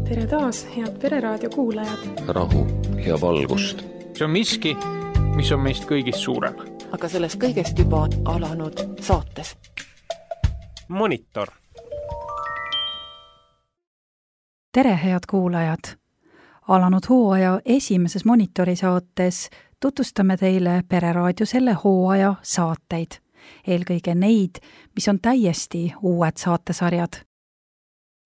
Tere taas, head Pereraadio kuulajad. Rahu ja valgust. See on miski, mis on meist kõigist suurem. Aga sellest kõigest juba alanud saates. Monitor. Tere, head kuulajad! Alanud hooaja esimeses Monitori saates tutvustame teile Pereraadio selle hooaja saateid. Eelkõige neid, mis on täiesti uued saatesarjad.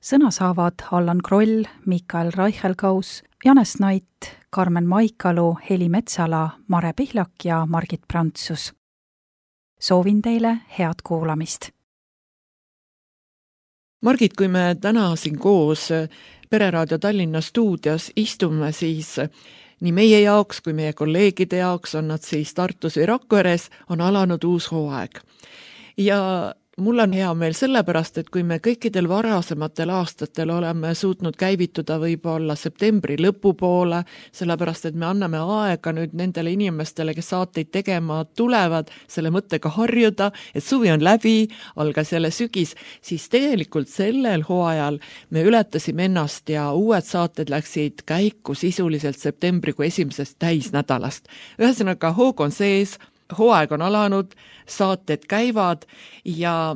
Sõna saavad Allan Kroll, Mikael Reichelkaus, Janes Nait, Karmen Maikalu, Heli Metsala, Mare Pihlak ja Margit Prantsus. Soovin teile head kuulamist. Margit, kui me täna siin koos Pereraadio Tallinna stuudios istume, siis nii meie jaoks kui meie kolleegide jaoks, on nad siis Tartus või Rakveres, on alanud uus hooaeg. Ja mul on hea meel sellepärast, et kui me kõikidel varasematel aastatel oleme suutnud käivituda võib-olla septembri lõpupoole, sellepärast et me anname aega nüüd nendele inimestele, kes saateid tegema tulevad, selle mõttega harjuda, et suvi on läbi, algas jälle sügis, siis tegelikult sellel hooajal me ületasime ennast ja uued saated läksid käiku sisuliselt septembrikuu esimesest täisnädalast. Ühesõnaga, hoog on sees, hooaeg on alanud, saated käivad ja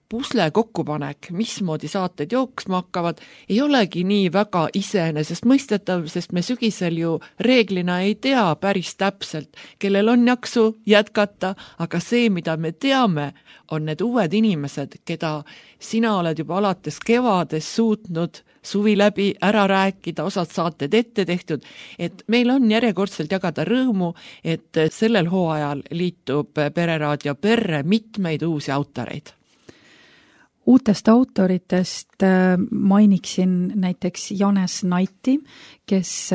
pusle kokkupanek, mismoodi saated jooksma hakkavad, ei olegi nii väga iseenesest mõistetav, sest me sügisel ju reeglina ei tea päris täpselt, kellel on jaksu jätkata, aga see, mida me teame, on need uued inimesed, keda sina oled juba alates kevades suutnud suvi läbi ära rääkida, osad saated ette tehtud, et meil on järjekordselt jagada rõõmu, et sellel hooajal liitub Pereraadio perre mitmeid uusi autoreid. Uutest autoritest mainiksin näiteks Janes Naiti, kes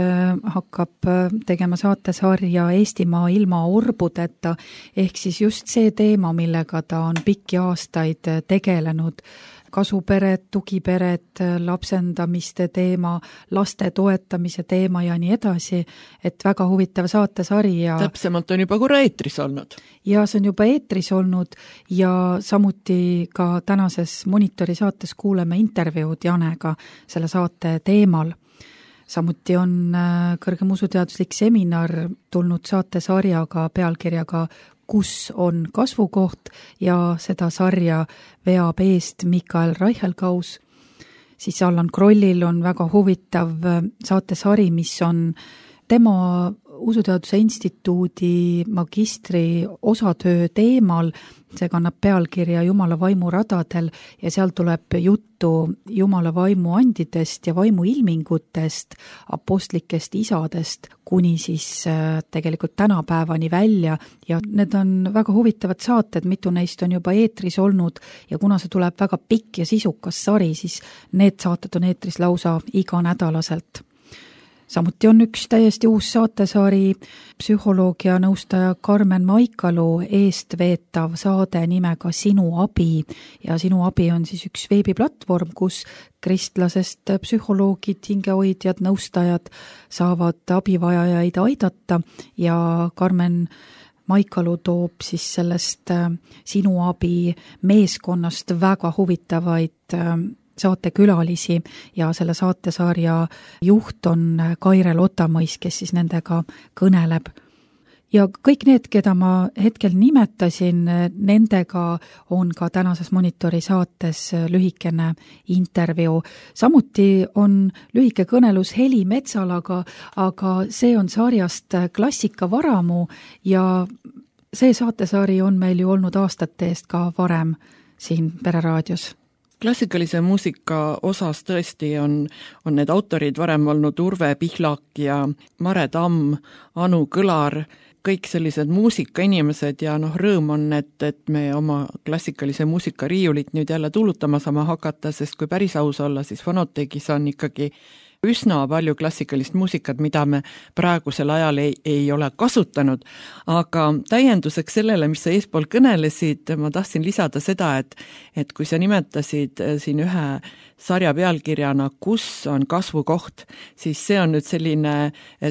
hakkab tegema saatesarja Eestimaa ilma orbudeta, ehk siis just see teema, millega ta on pikki aastaid tegelenud. Kasupered, tugipered, lapsendamiste teema, laste toetamise teema ja nii edasi, et väga huvitav saatesari. Täpsemalt on juba korra eetris olnud. Ja see on juba eetris olnud ja samuti ka tänases Monitori saates kuuleme intervjuud Janega selle saate teemal. Samuti on kõrgem usuteaduslik seminar tulnud saatesarjaga pealkirjaga Kus on kasvukoht ja seda sarja veab eest Mikael Reichelkaus. Siis Allan Krollil on väga huvitav saatesari, mis on tema Usuteaduse instituudi magistri osatöö teemal. See kannab pealkirja Jumala vaimu radadel ja seal tuleb juttu Jumala vaimu andidest ja vaimu ilmingutest, apostlikest isadest kuni siis tegelikult tänapäevani välja ja need on väga huvitavad saated, mitu neist on juba eetris olnud ja kuna see tuleb väga pikk ja sisukas sari, siis need saated on eetris lausa iganädalaselt. Samuti on üks täiesti uus saatesari, psühholoogia nõustaja Karmen Maikalu eestveetav saade nimega Sinu abi ja Sinu abi on siis üks veebiplatvorm, kus kristlasest psühholoogid, hingehoidjad, nõustajad saavad abivajajaid aidata ja Karmen Maikalu toob siis sellest Sinu abi meeskonnast väga huvitavaid saatekülalisi ja selle saatesarja juht on Kaire Lotamõis, kes siis nendega kõneleb. Ja kõik need, keda ma hetkel nimetasin, nendega on ka tänases Monitori saates lühikene intervjuu. Samuti on lühike kõnelus Heli Metsalaga, aga see on sarjast Klassika varamu ja see saatesari on meil ju olnud aastate eest ka varem siin Pereraadios. Klassikalise muusika osas tõesti on need autorid varem olnud Urve Pihlak ja Mare Tamm, Anu Kõlar, kõik sellised muusikainimesed ja rõõm on, et me oma klassikalise muusika riiulit nüüd jälle tuulutama saame hakata, sest kui päris aus olla, siis Fonotekis on ikkagi üsna palju klassikalist muusikat, mida me praegusel ajal ei ole kasutanud, aga täienduseks sellele, mis sa eespool kõnelesid, ma tahtsin lisada seda, et kui sa nimetasid siin ühe sarja pealkirjana, kus on kasvukoht, siis see on nüüd selline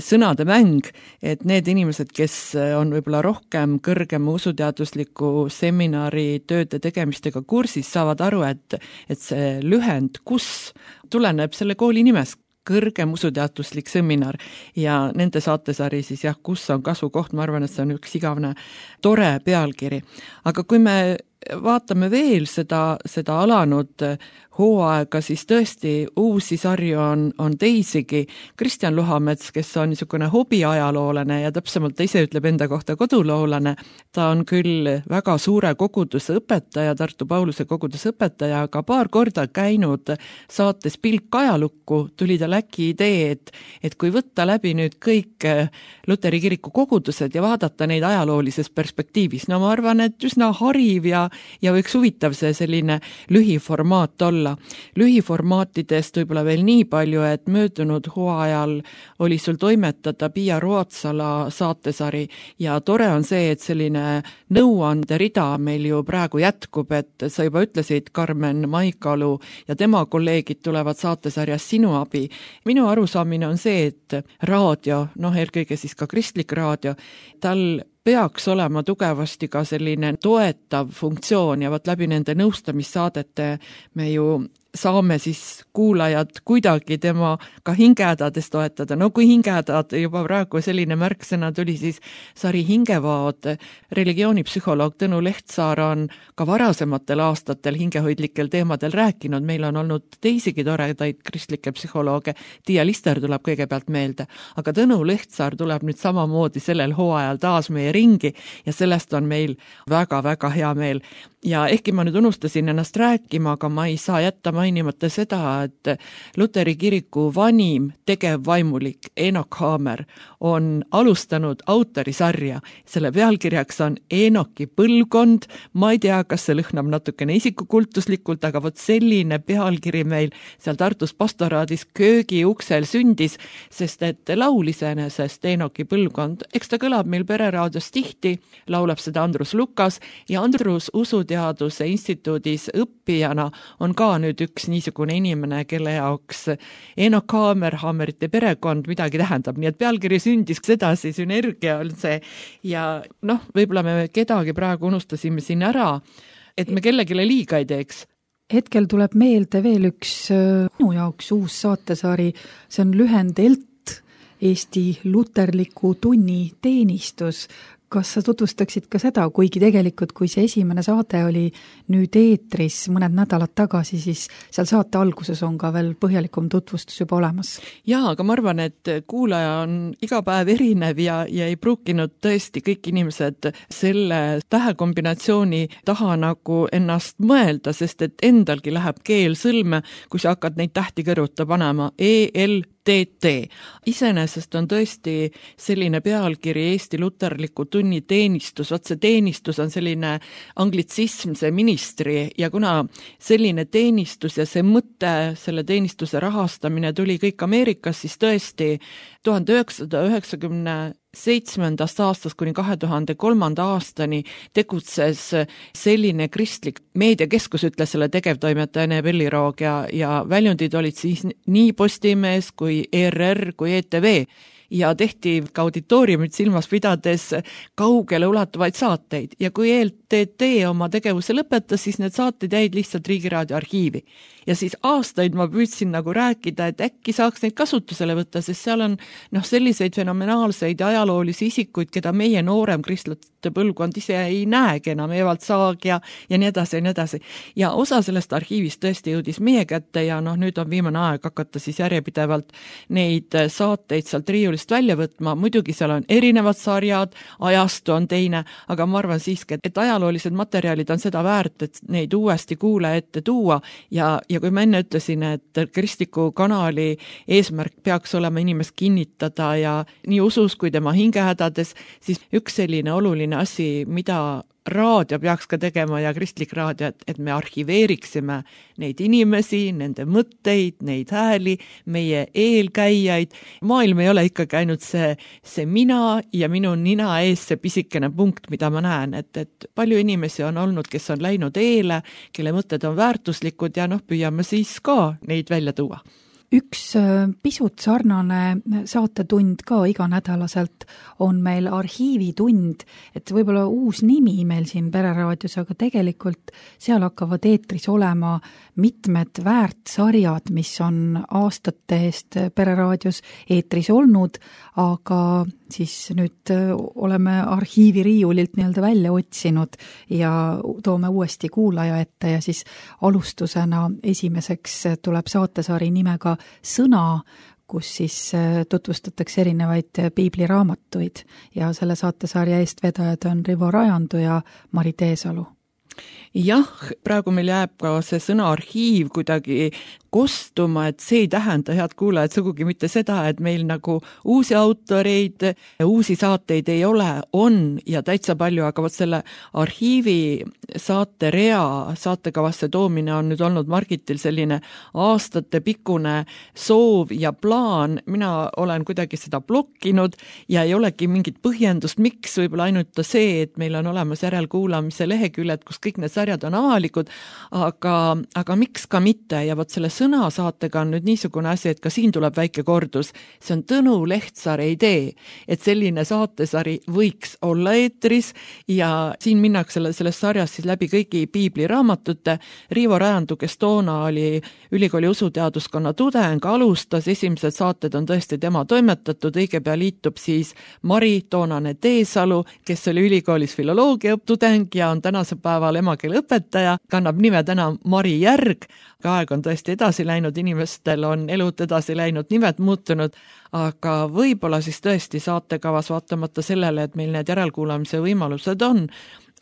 sõnade mäng, et need inimesed, kes on võib-olla rohkem kõrgema usuteadusliku seminari tööde tegemistega kursis, saavad aru, et see lühend, kus tuleneb selle kooli nimest, kõrgem usuteaduslik seminar ja nende saatesari siis jah, kus on kasvukoht, ma arvan, et see on üks igavene tore pealkiri. Aga kui me vaatame veel seda alanud hooaega, siis tõesti uusi sarju on teisigi. Kristjan Luhamets, kes on niisugune hobiajaloolane ja täpsemalt ta ise ütleb enda kohta koduloolane, ta on küll väga suure koguduse õpetaja, Tartu Pauluse koguduse õpetaja, aga paar korda käinud saates Pilk ajalukku, tuli tal äkki idee, et kui võtta läbi nüüd kõik Luteri kiriku kogudused ja vaadata neid ajaloolises perspektiivis, no ma arvan, et üsna hariv ja võiks huvitav see selline lühiformaat olla. Lühiformaatidest võib-olla veel nii palju, et möödunud hooajal oli sul toimetada Pia Ruotsala saatesari ja tore on see, et selline nõuande rida meil ju praegu jätkub, et sa juba ütlesid, Karmen Maikalu ja tema kolleegid tulevad saatesarjas Sinu abi. Minu arusaamine on see, et raadio, eelkõige siis ka kristlik raadio, tal peaks olema tugevasti ka selline toetav funktsioon ja läbi nende nõustamissaadete me ju saame siis kuulajad kuidagi tema ka hingehädades toetada. No kui hingehädad juba praegu selline märksõna tuli, siis sari Hingevaod. Religioonipsühholoog Tõnu Lehtsaar on ka varasematel aastatel hingehoidlikel teemadel rääkinud. Meil on olnud teisigi toredaid kristlikke psühholooge. Tiia Lister tuleb kõigepealt meelde. Aga Tõnu Lehtsaar tuleb nüüd samamoodi sellel hooajal taas meie ringi ja sellest on meil väga-väga hea meel. Ja ehkki ma nüüd unustasin ennast rääkima, aga ma ei saa jätta mainimata seda, et Luteri kiriku vanim tegevvaimulik Eenok Haamer on alustanud autorisarja. Selle pealkirjaks on Eenoki põlvkond. Ma ei tea, kas see lõhnab natukene isikukultuslikult, aga selline pealkiri meil seal Tartus pastoraadis köögi uksel sündis, sest et laul iseenesest Eenoki põlvkond, eks ta kõlab meil Pereraadios tihti, laulab seda Andrus Lukas ja Andrus Usuteaduse instituudis õppijana on ka nüüd üks niisugune inimene, kelle jaoks Eenok Haamer, Haamerite perekond midagi tähendab, nii et pealkiri sündis sedasi, sünergia on see ja võib-olla me kedagi praegu unustasime siin ära, et me kellegile liiga ei teeks. Hetkel tuleb meelde veel üks minu jaoks uus saatesari, see on lühend ELT, Eesti luterliku tunniteenistus. Kas sa tutvustaksid ka seda, kuigi tegelikult, kui see esimene saade oli nüüd eetris mõned nädalad tagasi, siis seal saate alguses on ka veel põhjalikum tutvustus juba olemas? Jaa, aga ma arvan, et kuulaja on iga päev erinev ja ei pruukinud tõesti kõik inimesed selle tähekombinatsiooni taha nagu ennast mõelda, sest et endalgi läheb keel sõlme, kui sa hakkad neid tähti kõrvuta panema. ELTT. Iseenesest on tõesti selline pealkiri Eesti luterliku tunniteenistus, see teenistus on selline anglitsism, see ministri ja kuna selline teenistus ja see mõte, selle teenistuse rahastamine tuli kõik Ameerikas, siis tõesti 1997. aastast kuni 2003. aastani tegutses selline kristlik meediakeskus, ütles selle tegevtoimetaja Ene Pelliroog ja väljundid olid siis nii Postimees kui ERR kui ETV ja tehti ka auditooriumit silmas pidades kaugele ulatuvaid saateid ja kui ELTT oma tegevuse lõpetas, siis need saated jäid lihtsalt Riigiraadio arhiivi. Ja siis aastaid ma püüdsin nagu rääkida, et äkki saaks neid kasutusele võtta, sest seal on selliseid fenomenaalseid ajaloolisi isikuid, keda meie noorem kristlate põlvkond ise ei näegi enam, Evald Saag ja nii edasi ja nii edasi. Ja osa sellest arhiivist tõesti jõudis meie kätte ja nüüd on viimane aeg hakata siis järjepidevalt neid saateid sealt riiulist välja võtma. Muidugi seal on erinevad sarjad, ajastu on teine, aga ma arvan siiski, et ajaloolised materjalid on seda väärt, et neid uuesti kuulaja ette tuua ja kui ma enne ütlesin, et kristliku kanali eesmärk peaks olema inimest kinnitada ja nii usus kui tema hingehädades, siis üks selline oluline asi, mida raadio peaks ka tegema ja kristlik raadio, et me arhiveeriksime neid inimesi, nende mõtteid, neid hääli, meie eelkäijaid. Maailm ei ole ikkagi ainult see mina ja minu nina ees see pisikene punkt, mida ma näen, et palju inimesi on olnud, kes on läinud eele, kelle mõtted on väärtuslikud ja püüame siis ka neid välja tuua. Üks pisut sarnane saatetund ka iganädalaselt on meil arhiivitund, et võib-olla uus nimi meil siin Pereraadios, aga tegelikult seal hakkavad eetris olema mitmed väärtsarjad, mis on aastate eest Pereraadios eetris olnud, aga siis nüüd oleme arhiiviriiulilt nii-öelda välja otsinud ja toome uuesti kuulaja ette ja siis alustusena esimeseks tuleb saatesari nimega Sõna, kus siis tutvustatakse erinevaid piibliraamatuid ja selle saatesarja eestvedajad on Rivo Rajandu ja Mari Teesalu. Jah, praegu meil jääb ka see sõna arhiiv kuidagi kostuma, et see ei tähenda, head kuulajad, sugugi mitte seda, et meil nagu uusi autoreid, uusi saateid ei ole, on ja täitsa palju, aga vot selle arhiivi saaterea saatekavasse toomine on nüüd olnud Margitil selline aastatepikkune soov ja plaan. Mina olen kuidagi seda blokkinud ja ei olegi mingit põhjendust, miks, võib-olla ainult see, et meil on olemas järelkuulamise leheküljed, kus kõik need sarjad on avalikud, aga miks ka mitte ja vot selle sõnasaatega on nüüd niisugune asi, et ka siin tuleb väike kordus. See on Tõnu Lehtsaare idee, et selline saatesari võiks olla eetris ja siin minnakse selles sarjas siis läbi kõigi piibliraamatute. Rivo Rajandu, kes toona oli ülikooli usuteaduskonna tudeng, alustas, esimesed saated on tõesti tema toimetatud, õige pea liitub siis Mari toonane Teesalu, kes oli ülikoolis filoloogia tudeng ja on tänase päeval emakeeleõpetaja, kannab nime täna Mari Järg. Aeg on tõesti edasi läinud, inimestel on elud edasi läinud, nimed muutunud, aga võib-olla siis tõesti saatekavas vaatamata sellele, et meil need järelkuulamise võimalused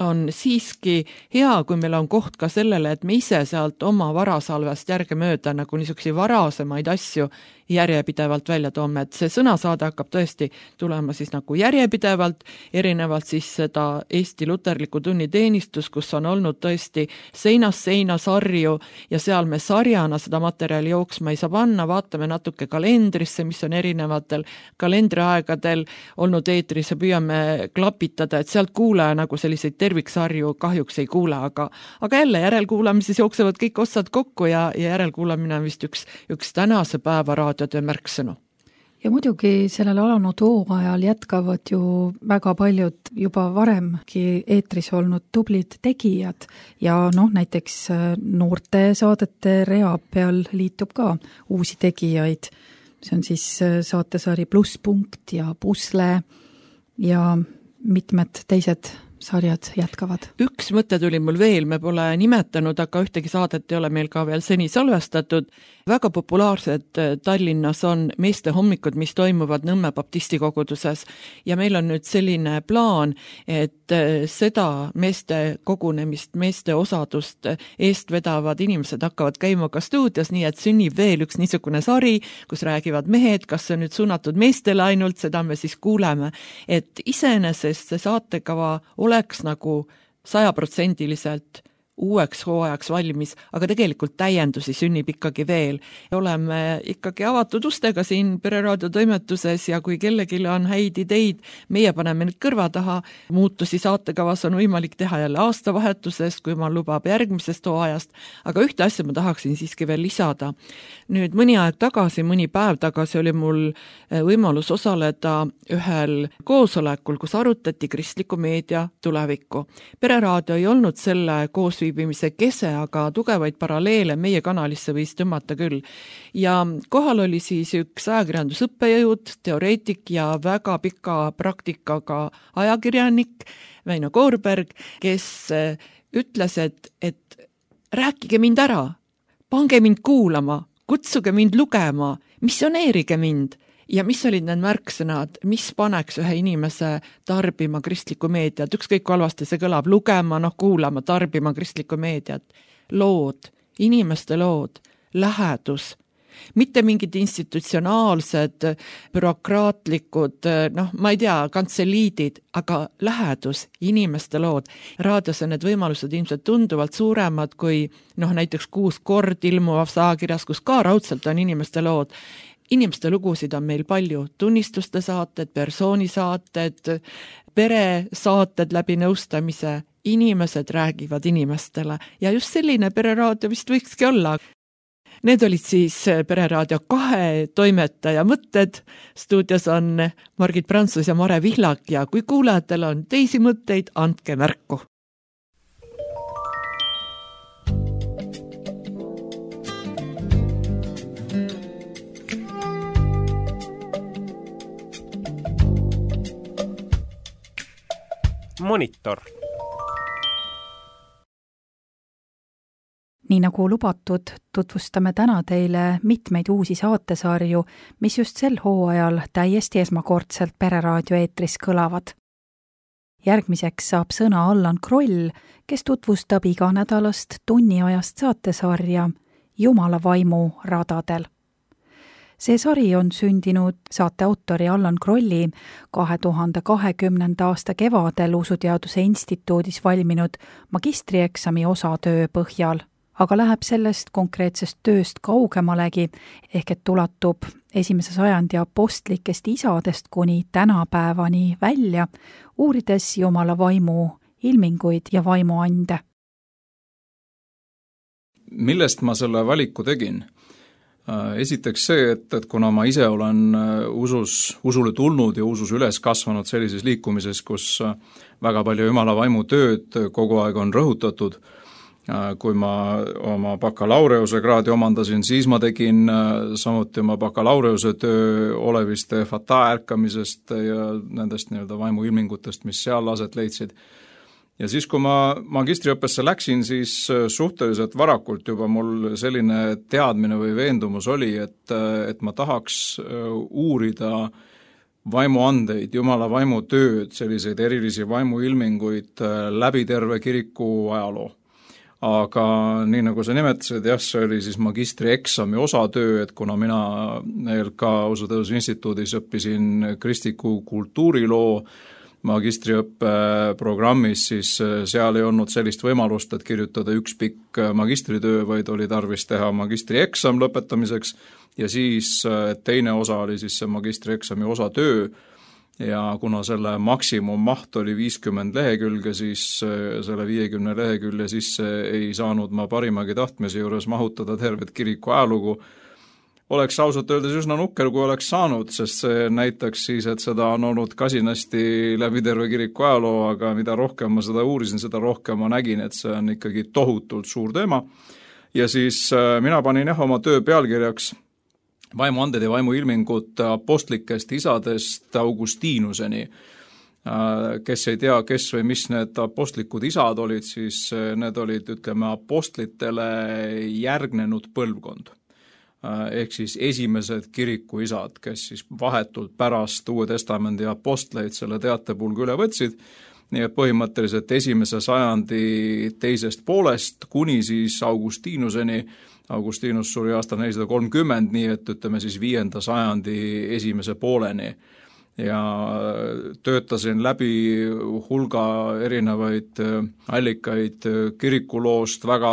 on siiski hea, kui meil on koht ka sellele, et me ise sealt oma varasalvest järgemööda nagu niisuguseid varasemaid asju järjepidevalt välja toome, et see sõnasaade hakkab tõesti tulema siis nagu järjepidevalt, erinevalt siis seda Eesti luterliku tunniteenistus, kus on olnud tõesti seinast seina sarju ja seal me sarjana seda materjali jooksma ei saa panna, vaatame natuke kalendrisse, mis on erinevatel kalendriaegadel olnud eetris ja püüame klapitada, et sealt kuulaja nagu selliseid terviksarju kahjuks ei kuule, aga jälle järelkuulamises jooksevad kõik otsad kokku ja järelkuulamine on vist üks tänase päeva raadiotöö märksõnu. Ja muidugi sellel alanud hooajal jätkavad ju väga paljud juba varemgi eetris olnud tublid tegijad ja näiteks noorte saadete rea peal liitub ka uusi tegijaid. See on siis saatesari Plusspunkt ja Pusle ja mitmed teised sarjad jätkavad. Üks mõte tuli mul veel, me pole nimetanud, aga ühtegi saadet ei ole meil ka veel seni salvestatud. Väga populaarsed Tallinnas on meeste hommikud, mis toimuvad Nõmme baptisti koguduses ja meil on nüüd selline plaan, et seda meeste kogunemist, meeste osadust eest vedavad inimesed hakkavad käima ka stuudios, nii et sünnib veel üks niisugune sari, kus räägivad mehed, kas see on nüüd suunatud meestele ainult, seda me siis kuuleme, et iseenesest see saatekava oleks nagu 100% uueks hooajaks valmis, aga tegelikult täiendusi sünnib ikkagi veel. Oleme ikkagi avatud ustega siin Pereraadio toimetuses ja kui kellelgi on häid ideid, meie paneme nüüd kõrva taha. Muutusi saatekavas on võimalik teha jälle aastavahetusest, kui ma lubab järgmisest hooajast, aga ühte asja ma tahaksin siiski veel lisada. Nüüd mõni aeg tagasi, mõni päev tagasi oli mul võimalus osaleda ühel koosolekul, kus arutati kristliku meedia tulevikku. Pereraadio ei olnud selle koosviibimise kese, aga tugevaid paralleele meie kanalisse võis tõmmata küll. Ja kohal oli siis üks ajakirjandusõppejõud, teoreetik ja väga pika praktikaga ajakirjanik Väino Koorberg, kes ütles, et rääkige mind ära, pange mind kuulama, kutsuge mind lugema, missioneerige mind. Ja mis olid need märksõnad, mis paneks ühe inimese tarbima kristlikku meediat, ükskõik kui halvasti see kõlab, lugema, kuulama, tarbima kristlikku meediat, lood, inimeste lood, lähedus, mitte mingid institutsionaalsed, bürokraatlikud, ma ei tea, kantseliidid, aga lähedus, inimeste lood. Raadios on need võimalused ilmselt tunduvalt suuremad kui näiteks 6 kord ilmuvas ajakirjas, kus ka raudselt on inimeste lood. Inimeste lugusid on meil palju, tunnistuste saated, persoonisaated, peresaated läbi nõustamise, inimesed räägivad inimestele ja just selline pereraadio vist võikski olla. Need olid siis Pereraadio 2 toimetaja mõtted. Stuudios on Margit Prantsus ja Mare Vihlak ja kui kuulajatel on teisi mõtteid, andke märku. Monitor. Nii nagu lubatud, tutvustame täna teile mitmeid uusi saatesarju, mis just sel hooajal täiesti esmakordselt Pereraadio eetris kõlavad. Järgmiseks saab sõna Allan Kroll, kes tutvustab iganädalast tunniajast saatesarja Jumala vaimu radadel. See sari on sündinud saate autori Allan Krolli 2020. aasta kevadel Usuteaduse Instituudis valminud magistrieksami osatöö põhjal, aga läheb sellest konkreetsest tööst kaugemalegi, ehk et ulatub 1. sajandi apostlikest isadest kuni tänapäevani välja, uurides Jumala vaimu ilminguid ja vaimuande. Millest ma selle valiku tegin? Esiteks see, et kuna ma ise olen usule tulnud ja usus üles kasvanud sellises liikumises, kus väga palju Jumala vaimu tööd kogu aeg on rõhutatud, kui ma oma bakalaureuse kraadi omandasin, siis ma tegin samuti oma bakalaureuse töö oleviste fata ärkamisest ja nendest vaimuilmingutest, mis seal aset leidsid. Ja siis, kui ma magistriõppesse läksin, siis suhteliselt varakult juba mul selline teadmine või veendumus oli, et ma tahaks uurida vaimuandeid, Jumala vaimu tööd, selliseid erilisi vaimuilminguid läbi terve kiriku ajaloo. Aga nii nagu sa nimetasid, see oli siis magistrieksami osatöö, et kuna mina LK Usuteaduse Instituudis õppisin kristliku kultuuriloo magistriõppe programmis, siis seal ei olnud sellist võimalust, et kirjutada üks pikk magistritöö, vaid oli tarvis teha magistrieksam lõpetamiseks ja siis teine osa oli siis see magistrieksami osatöö ja kuna selle maksimummaht oli 50 lehekülge, siis selle 50 lehekülje sisse ei saanud ma parimagi tahtmise juures mahutada tervet kiriku ajalugu. Oleks ausalt öeldes üsna nukker, kui oleks saanud, sest see näitaks siis, et seda on olnud kasinasti läbi terve kiriku ajaloo, aga mida rohkem ma seda uurisin, seda rohkem ma nägin, et see on ikkagi tohutult suur teema. Ja siis mina panin oma töö pealkirjaks vaimuanded ja vaimuilmingud apostlikest isadest Augustinuseni. Kes ei tea, kes või mis need apostlikud isad olid, siis need olid, apostlitele järgnenud põlvkond. Ehk siis esimesed kirikuisad, kes siis vahetult pärast Uue Testamendi apostleid selle teatepulga üle võtsid, nii et põhimõtteliselt 1. sajandi teisest poolest kuni siis Augustinuseni. Augustinus suri aastal 430, nii et siis 5. sajandi esimese pooleni. Ja töötasin läbi hulga erinevaid allikaid kirikuloost, väga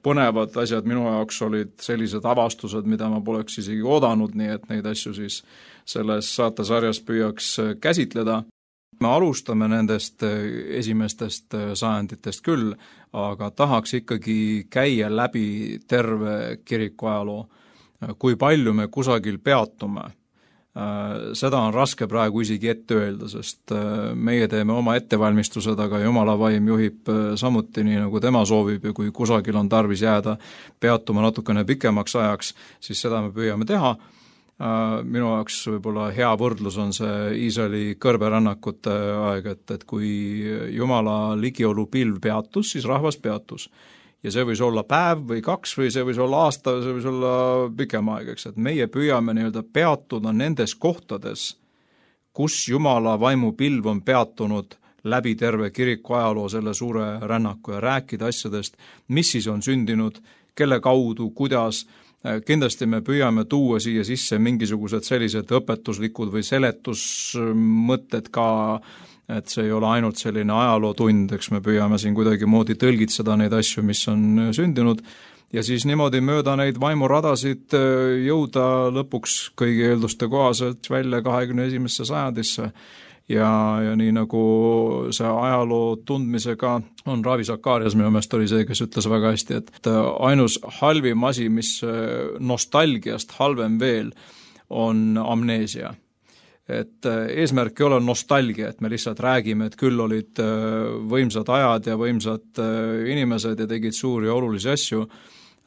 põnevad asjad minu jaoks olid sellised avastused, mida ma poleks isegi oodanud, nii et neid asju siis selles saatesarjas püüaks käsitleda. Me alustame nendest esimestest sajanditest küll, aga tahaks ikkagi käia läbi terve kiriku ajaloo. Kui palju me kusagil peatume, seda on raske praegu isegi ette öelda, sest meie teeme oma ettevalmistused, aga Jumala vaim juhib samuti nii, nagu tema soovib ja kui kusagil on tarvis jääda peatuma natukene pikemaks ajaks, siis seda me püüame teha. Minu jaoks võib-olla hea võrdlus on see Iisraeli kõrberännakute aeg, et kui Jumala ligiolu pilv peatus, siis rahvas peatus. Ja see võis olla päev või 2 või see võis olla aasta, see võis olla pikem aeg, eks, et meie püüame peatuda nendes kohtades, kus Jumala vaimu pilv on peatunud läbi terve kiriku ajaloo selle suure rännaku ja rääkida asjadest, mis siis on sündinud, kelle kaudu, kuidas kindlasti me püüame tuua siia sisse mingisugused sellised õpetuslikud või seletusmõtted ka, et see ei ole ainult selline ajalootund, eks me püüame siin kuidagimoodi tõlgitseda neid asju, mis on sündinud, ja siis niimoodi mööda neid vaimuradasid jõuda lõpuks kõigi eelduste kohaselt välja 21. sajandisse. Ja nii nagu see ajaloo tundmisega on Ravi Zacharias minu meelest oli see, kes ütles väga hästi, et ainus halvim asi, mis nostalgiast halvem veel, on amneesia. Et eesmärk ei ole nostalgia, et me lihtsalt räägime, et küll olid võimsad ajad ja võimsad inimesed ja tegid suuri ja olulisi asju.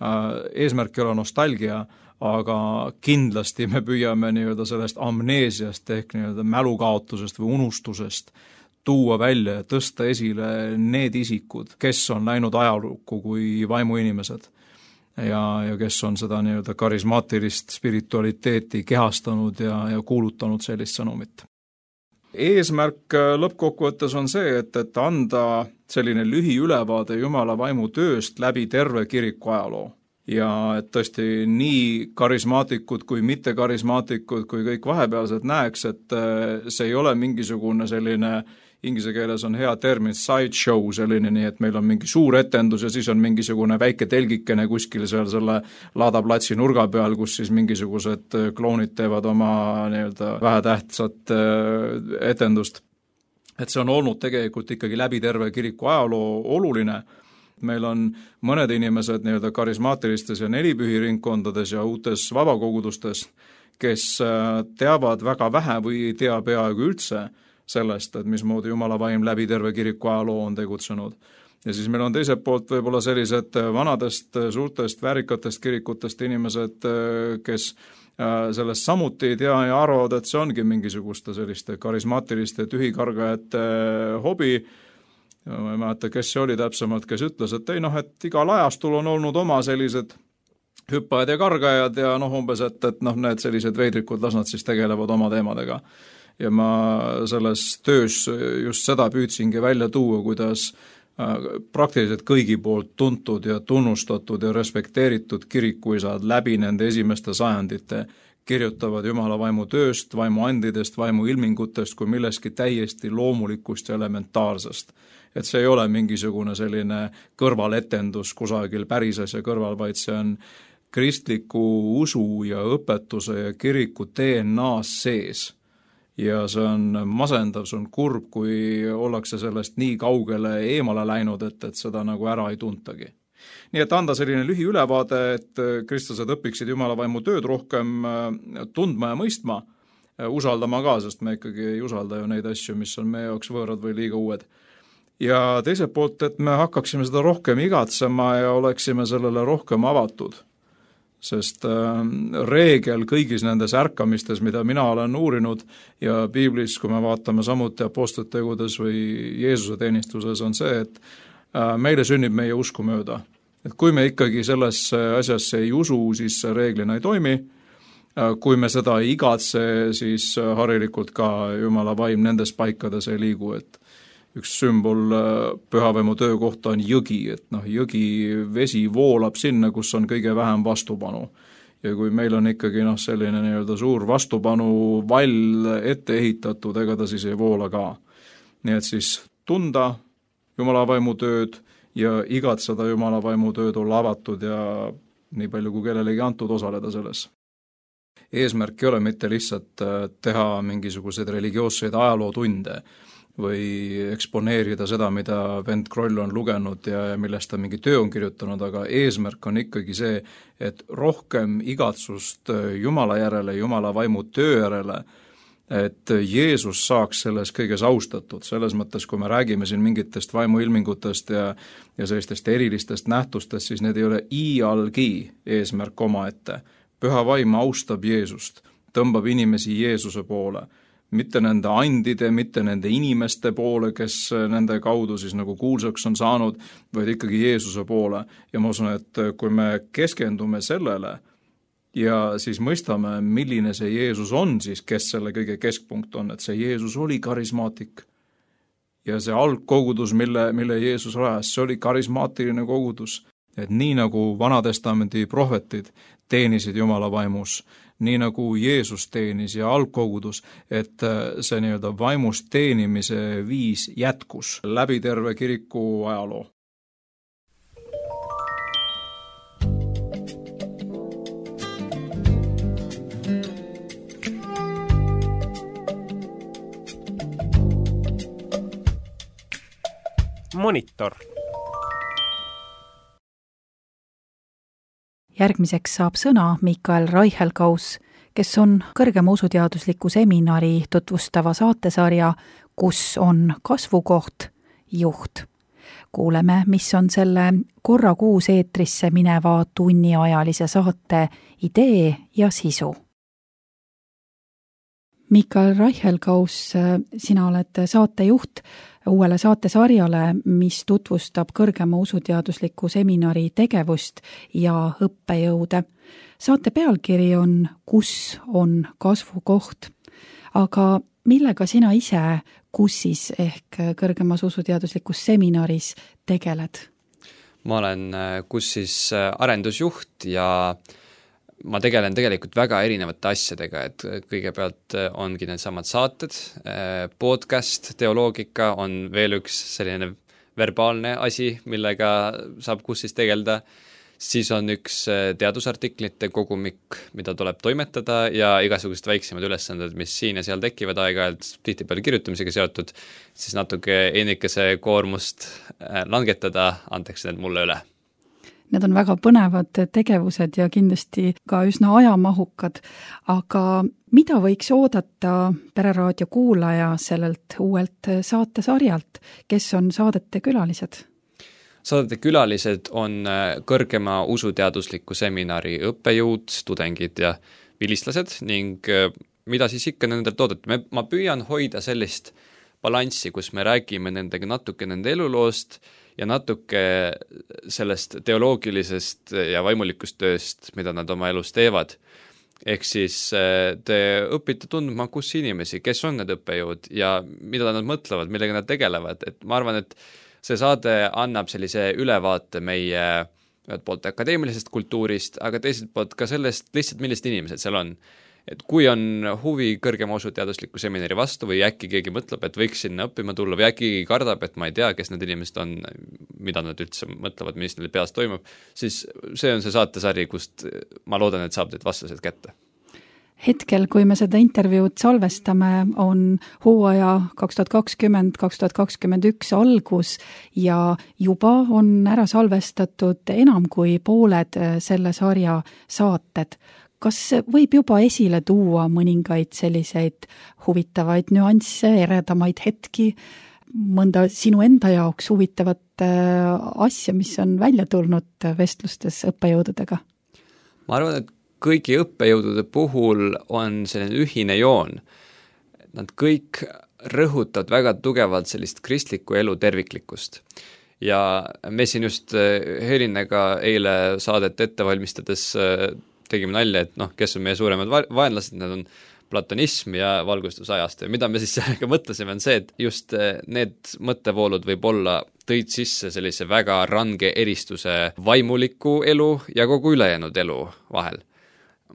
Eesmärk ei ole nostalgia, aga kindlasti me püüame nii-öelda sellest amneesiast ehk nii-öelda mälukaotusest või unustusest tuua välja ja tõsta esile need isikud, kes on läinud ajalukku kui vaimuinimesed ja kes on seda nii-öelda karismaatilist spiritualiteeti kehastanud ja kuulutanud sellist sõnumit. Eesmärk lõppkokkuvõttes on see, et anda selline lühiülevaade Jumala vaimu tööst läbi terve kiriku ajaloo. Ja et tõesti nii karismaatikud kui mitte karismaatikud kui kõik vahepealsed näeks, et see ei ole mingisugune selline, inglise keeles on hea termin sideshow selline, nii et meil on mingi suur etendus ja siis on mingisugune väike telgikene kuskil seal selle laadaplatsi nurga peal, kus siis mingisugused kloonid teevad oma nii-öelda vähetähtsat etendust. Et see on olnud tegelikult ikkagi läbi terve kiriku ajaloo oluline. Meil on mõned inimesed nii-öelda karismaatilistes ja nelipühiringkondades ja uutes vabakogudustes, kes teavad väga vähe või ei tea peaaegu üldse sellest, et mismoodi Jumala vaim läbi terve kiriku ajaloo on tegutsenud. Ja siis meil on teiselt poolt võib-olla sellised vanadest, suurtest, väärikatest kirikutest inimesed, kes sellest samuti ei tea ja arvavad, et see ongi mingisuguste selliste karismaatiliste tühikargajate hobi. Ma ei mäleta, kes see oli täpsemalt, kes ütles, et ei et igal ajastul on olnud oma sellised hüppajad ja kargajad ja umbes, et need sellised veidrikud, las nad siis tegelevad oma teemadega. Ja ma selles töös just seda püüdsingi välja tuua, kuidas praktiliselt kõigi poolt tuntud ja tunnustatud ja respekteeritud kirikuisad läbi nende esimeste sajandite kirjutavad Jumala vaimu tööst, vaimu andidest, vaimu ilmingutest kui milleski täiesti loomulikust ja elementaarsest. Et see ei ole mingisugune selline kõrvaletendus kusagil päris asja kõrval, vaid see on kristliku usu ja õpetuse ja kiriku DNA-s sees. Ja see on masendav, see on kurb, kui ollakse sellest nii kaugele eemale läinud, et seda nagu ära ei tuntagi. Nii et anda selline lühiülevaade, et kristlased õpiksid Jumala vaimu tööd rohkem tundma ja mõistma, usaldama ka, sest me ikkagi ei usalda ju neid asju, mis on meie jaoks võõrad või liiga uued. Ja teiselt poolt, et me hakkaksime seda rohkem igatsema ja oleksime sellele rohkem avatud. Sest reegel kõigis nendes ärkamistes, mida mina olen uurinud ja piiblis, kui me vaatame samuti apostlite tegudes või Jeesuse teenistuses, on see, et meile sünnib meie usku mööda. Et kui me ikkagi sellesse asjasse ei usu, siis see reeglina ei toimi. Kui me seda ei igatse, siis harilikult ka Jumala vaim nendes paikades ei liigu, et üks sümbol pühavaimu töö kohta on jõgi, et jõgi vesi voolab sinna, kus on kõige vähem vastupanu. Ja kui meil on ikkagi selline nii-öelda suur vastupanu vall ette ehitatud, ega ta siis ei voola ka. Nii et siis tunda Jumala vaimu tööd ja igatseda Jumala vaimu tööd olla avatud ja nii palju kui kellelegi antud osaleda selles. Eesmärk ei ole mitte lihtsalt teha mingisuguseid religioosseid ajalootunde või eksponeerida seda, mida vend Kroll on lugenud ja millest ta mingi töö on kirjutanud, aga eesmärk on ikkagi see, et rohkem igatsust Jumala järele, Jumala vaimu töö järele, et Jeesus saaks selles kõiges austatud, selles mõttes, kui me räägime siin mingitest vaimuilmingutest ja sellistest erilistest nähtustest, siis need ei ole iialgi eesmärk omaette. Püha vaim austab Jeesust, tõmbab inimesi Jeesuse poole, mitte nende andide, mitte nende inimeste poole, kes nende kaudu siis nagu kuulsaks on saanud, vaid ikkagi Jeesuse poole. Ja ma usun, et kui me keskendume sellele ja siis mõistame, milline see Jeesus on siis, kes selle kõige keskpunkt on, et see Jeesus oli karismaatik. Ja see algkogudus, mille Jeesus rajas, see oli karismaatiline kogudus. et nii nagu Vanatestamendi prohvetid teenisid Jumala vaimus, nii nagu Jeesus teenis ja algkogudus, et see nii-öelda vaimust teenimise viis jätkus läbi terve kiriku ajaloo. Monitor. Järgmiseks saab sõna Mikael Reichelkaus, kes on kõrgema usuteadusliku seminari tutvustava saatesarja Kus on kasvukoht juht. Kuuleme, mis on selle korra kuus eetrisse mineva tunniajalise saate idee ja sisu. Mikael Reichelkaus, sina oled saatejuht uuele saatesarjale, mis tutvustab kõrgema usuteadusliku seminari tegevust ja õppejõude. Saate pealkiri on Kus on kasvukoht, aga millega sina ise KUSis ehk kõrgemas usuteaduslikus seminaris tegeled? Ma olen KUSis arendusjuht ja ma tegelen tegelikult väga erinevate asjadega, et kõigepealt ongi need samad saated, podcast, teoloogika on veel üks selline verbaalne asi, millega saab KUSis tegeleda, siis on üks teadusartiklite kogumik, mida tuleb toimetada ja igasugused väiksemad ülesanded, mis siin ja seal tekivad aeg-ajalt tihtipeale kirjutamisega seotud, siis natuke ennikese koormust langetada, antakse need mulle üle. Need on väga põnevad tegevused ja kindlasti ka üsna ajamahukad, aga mida võiks oodata Pereraadio kuulaja sellelt uuelt saatesarjalt, kes on saadete külalised? Saadete külalised on kõrgema usuteadusliku seminari õppejõud, tudengid ja vilistlased ning mida siis ikka nendelt oodata. Ma püüan hoida sellist balanssi, kus me räägime nendega natuke nende eluloost ja natuke sellest teoloogilisest ja vaimulikust tööst, mida nad oma elus teevad. Ehk siis te õpite tundma KUSi inimesi, kes on need õppejõud ja mida nad mõtlevad, millega nad tegelevad. Et ma arvan, et see saade annab sellise ülevaate meie ühelt poolt akadeemilisest kultuurist, aga teiselt poolt ka sellest lihtsalt, millised inimesed seal on. Et kui on huvi kõrgema usuteadusliku seminari vastu või äkki keegi mõtleb, et võiks sinna õppima tulla või äkki kardab, et ma ei tea, kes need inimesed on, mida nad üldse mõtlevad, mis neil peas toimub, siis see on see saatesari, kust ma loodan, et saab need vastused kätte. Hetkel, kui me seda intervjuud salvestame, on hooaja 2020-2021 algus ja juba on ära salvestatud enam kui pooled selle sarja saated. Kas võib juba esile tuua mõningaid selliseid huvitavaid nüansse, eredamaid hetki, mõnda sinu enda jaoks huvitavat asja, mis on välja tulnud vestlustes õppejõududega? Ma arvan, et kõigi õppejõudude puhul on selline ühine joon. Nad kõik rõhutavad väga tugevalt sellist kristliku elu terviklikkust. Ja me siin just Helinega eile saadet ette valmistades tegime nalja, et kes on meie suuremad vaenlased, need on platonism ja valgustusajast. Ja mida me siis sellega mõtlesime, on see, et just need mõttevoolud võib-olla tõid sisse sellise väga range eristuse vaimuliku elu ja kogu ülejäänud elu vahel.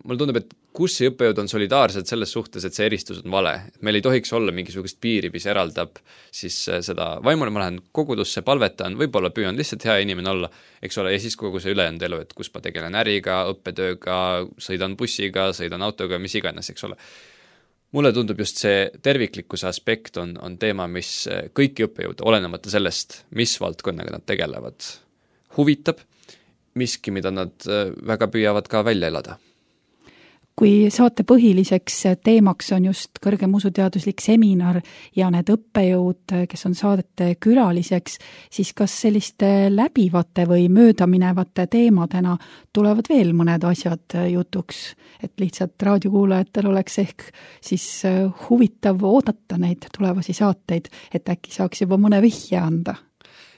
Mulle tundub, et KUSi õppejõud on solidaarsed selles suhtes, et see eristus on vale. Meil ei tohiks olla mingisugust piiri, mis eraldab siis seda vaimule, ma lähen kogudusse, palvetan, võib-olla püüan lihtsalt hea inimene olla, eks ole, ja siis kogu see ülejäänud elu, et kus ma tegelen äriga, õppetööga, sõidan bussiga, sõidan autoga, mis iganes, eks ole. Mulle tundub just see terviklikkuse aspekt on teema, mis kõiki õppejõud, olenemata sellest, mis valdkonnaga nad tegelevad, huvitab, miski, mida nad väga püüavad ka välja elada. Kui saate põhiliseks teemaks on just kõrgem usuteaduslik seminar ja need õppejõud, kes on saadete külaliseks, siis kas selliste läbivate või möödaminevate teemadena tulevad veel mõned asjad jutuks, et lihtsalt raadiokuulajatel oleks ehk siis huvitav oodata neid tulevasi saateid, et äkki saaks juba mõne vihje anda?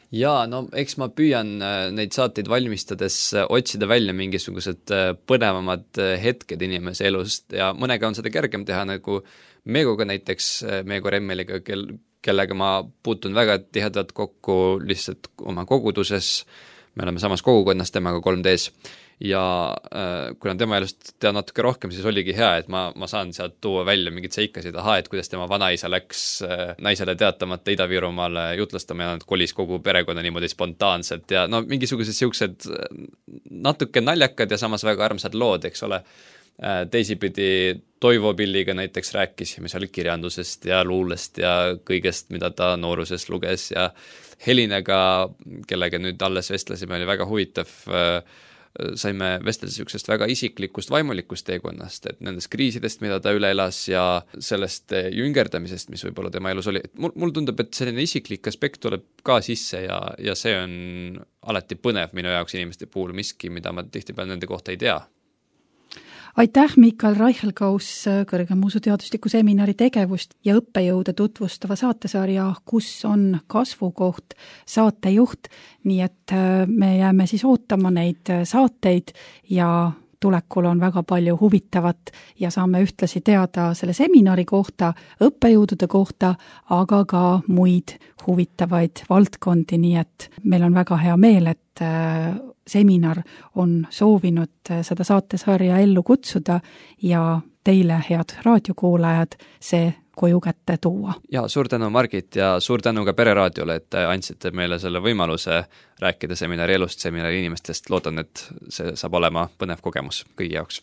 Jaa, eks ma püüan neid saateid valmistades otsida välja mingisugused põnevamad hetked inimese elust ja mõnega on seda kergem teha, nagu Meegoga näiteks, Meego Remmeliga, kellega ma puutun väga tihedalt kokku lihtsalt oma koguduses. me oleme samas kogukonnas temaga 3D-s ja kuna tema elust tean natuke rohkem, siis oligi hea, et ma saan sealt tuua välja mingid seikasid, et kuidas tema vanaisa läks naisele teatamata Ida-Virumaale jutlastama ja nad kolis kogu perekonna niimoodi spontaanselt ja no mingisugused siuksed natuke naljakad ja samas väga armsad lood, eks ole. Teisipidi Toivo Pilliga näiteks rääkisime seal kirjandusest ja luulest ja kõigest, mida ta nooruses luges ja Helinega, kellega nüüd alles vestlesime, oli väga huvitav, saime vestelda siuksest väga isiklikust vaimulikust teekonnast, et nendest kriisidest, mida ta üle elas ja sellest jüngerdamisest, mis võib-olla tema elus oli. Mul tundub, et selline isiklik aspekt tuleb ka sisse ja see on alati põnev minu jaoks inimeste puhul miski, mida ma tihtipeale nende kohta ei tea. Aitäh, Mikael Reichelgaus, kõrgemuusuteadusliku seminari tegevust ja õppejõude tutvustava saatesarja Kus on kasvukoht saatejuht, nii et me jääme siis ootama neid saateid ja tulekul on väga palju huvitavat ja saame ühtlasi teada selle seminari kohta, õppejõudude kohta, aga ka muid huvitavaid valdkondi, nii et meil on väga hea meel, et seminar on soovinud seda saatesarja ellu kutsuda ja teile, head raadiokuulajad, see koju kätte tuua. Ja suur tänu, Margit, ja suur tänu ka Pereraadiole, et andsite meile selle võimaluse rääkida seminari elust, seminari inimestest. Loodan, et see saab olema põnev kogemus kõigi jaoks.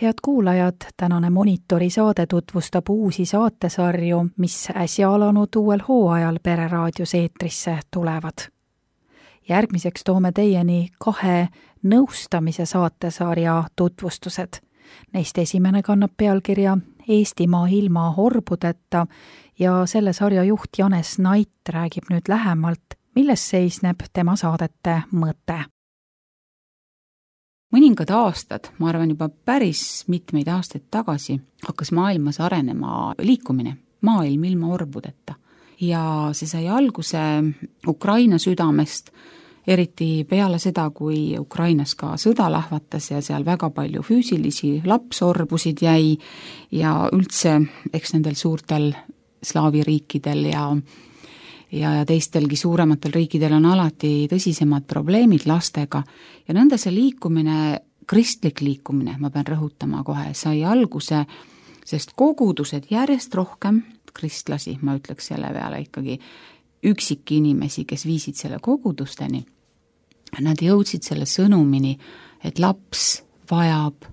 Head kuulajad, tänane Monitori saade tutvustab uusi saatesarju, mis äsja alanud uuel hooajal Pereraadios eetrisse tulevad. Järgmiseks toome teieni 2 nõustamise saatesarja tutvustused. Neist esimene kannab pealkirja Eestimaa ilma orbudeta ja selle sarja juht Janes Nait räägib nüüd lähemalt, milles seisneb tema saadete mõte. Mõningad aastad, ma arvan juba päris mitmeid aastaid tagasi, hakkas maailmas arenema liikumine, maailm ilma orbudeta. Ja see sai alguse Ukraina südamest, eriti peale seda, kui Ukrainas ka sõda lahvatas ja seal väga palju füüsilisi lapsorbusid jäi ja üldse eks nendel suurtel slaavi riikidel ja teistelgi suurematel riikidel on alati tõsisemad probleemid lastega ja nõnda see liikumine, kristlik liikumine, ma pean rõhutama kohe, sai alguse, sest kogudused järjest rohkem kristlasi, ma ütleks selle peale ikkagi üksikinimesi, kes viisid selle kogudusteni, nad jõudsid selle sõnumini, et laps vajab